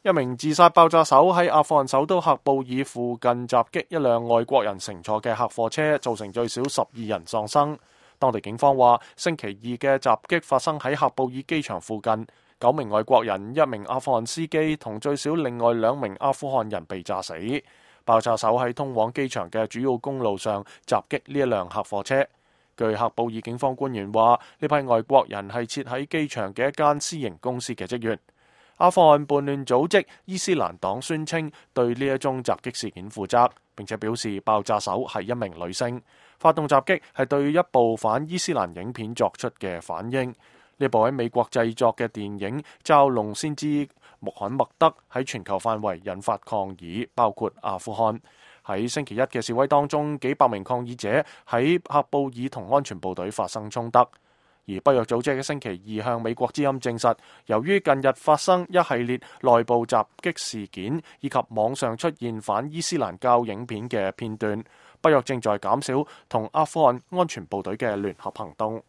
一名自殺爆炸手喺阿富汗首都喀布爾附近襲擊一輛外國人乘坐嘅客貨車，造成最少12人喪生。當地警方話，星期二嘅襲擊發生喺喀布爾機場附近，9名外國人、1名阿富汗司機同最少另外2名阿富汗人被炸死。爆炸手喺通往機場嘅主要公路上襲擊呢一輛客貨車。據喀布爾警方官員話，呢批外國人係設喺機場嘅一間私營公司嘅職員。阿富汗叛亂組織伊斯蘭黨宣稱對呢一宗襲擊事件負責，並且表示爆炸手係一名女性。發動襲擊係對一部反伊斯蘭影片作出嘅反應。呢部喺美國製作嘅電影《嘲弄先知穆罕默德》喺全球範圍引發抗議，包括阿富汗。喺星期一嘅示威當中，幾百名抗議者喺喀布爾同安全部隊發生衝突。而北約組織喺星期二向美國之音證實，由於近日發生一系列內部襲擊事件，以及網上出現反伊斯蘭教影片嘅片段，北約正在減少同阿富汗安全部隊嘅聯合行動。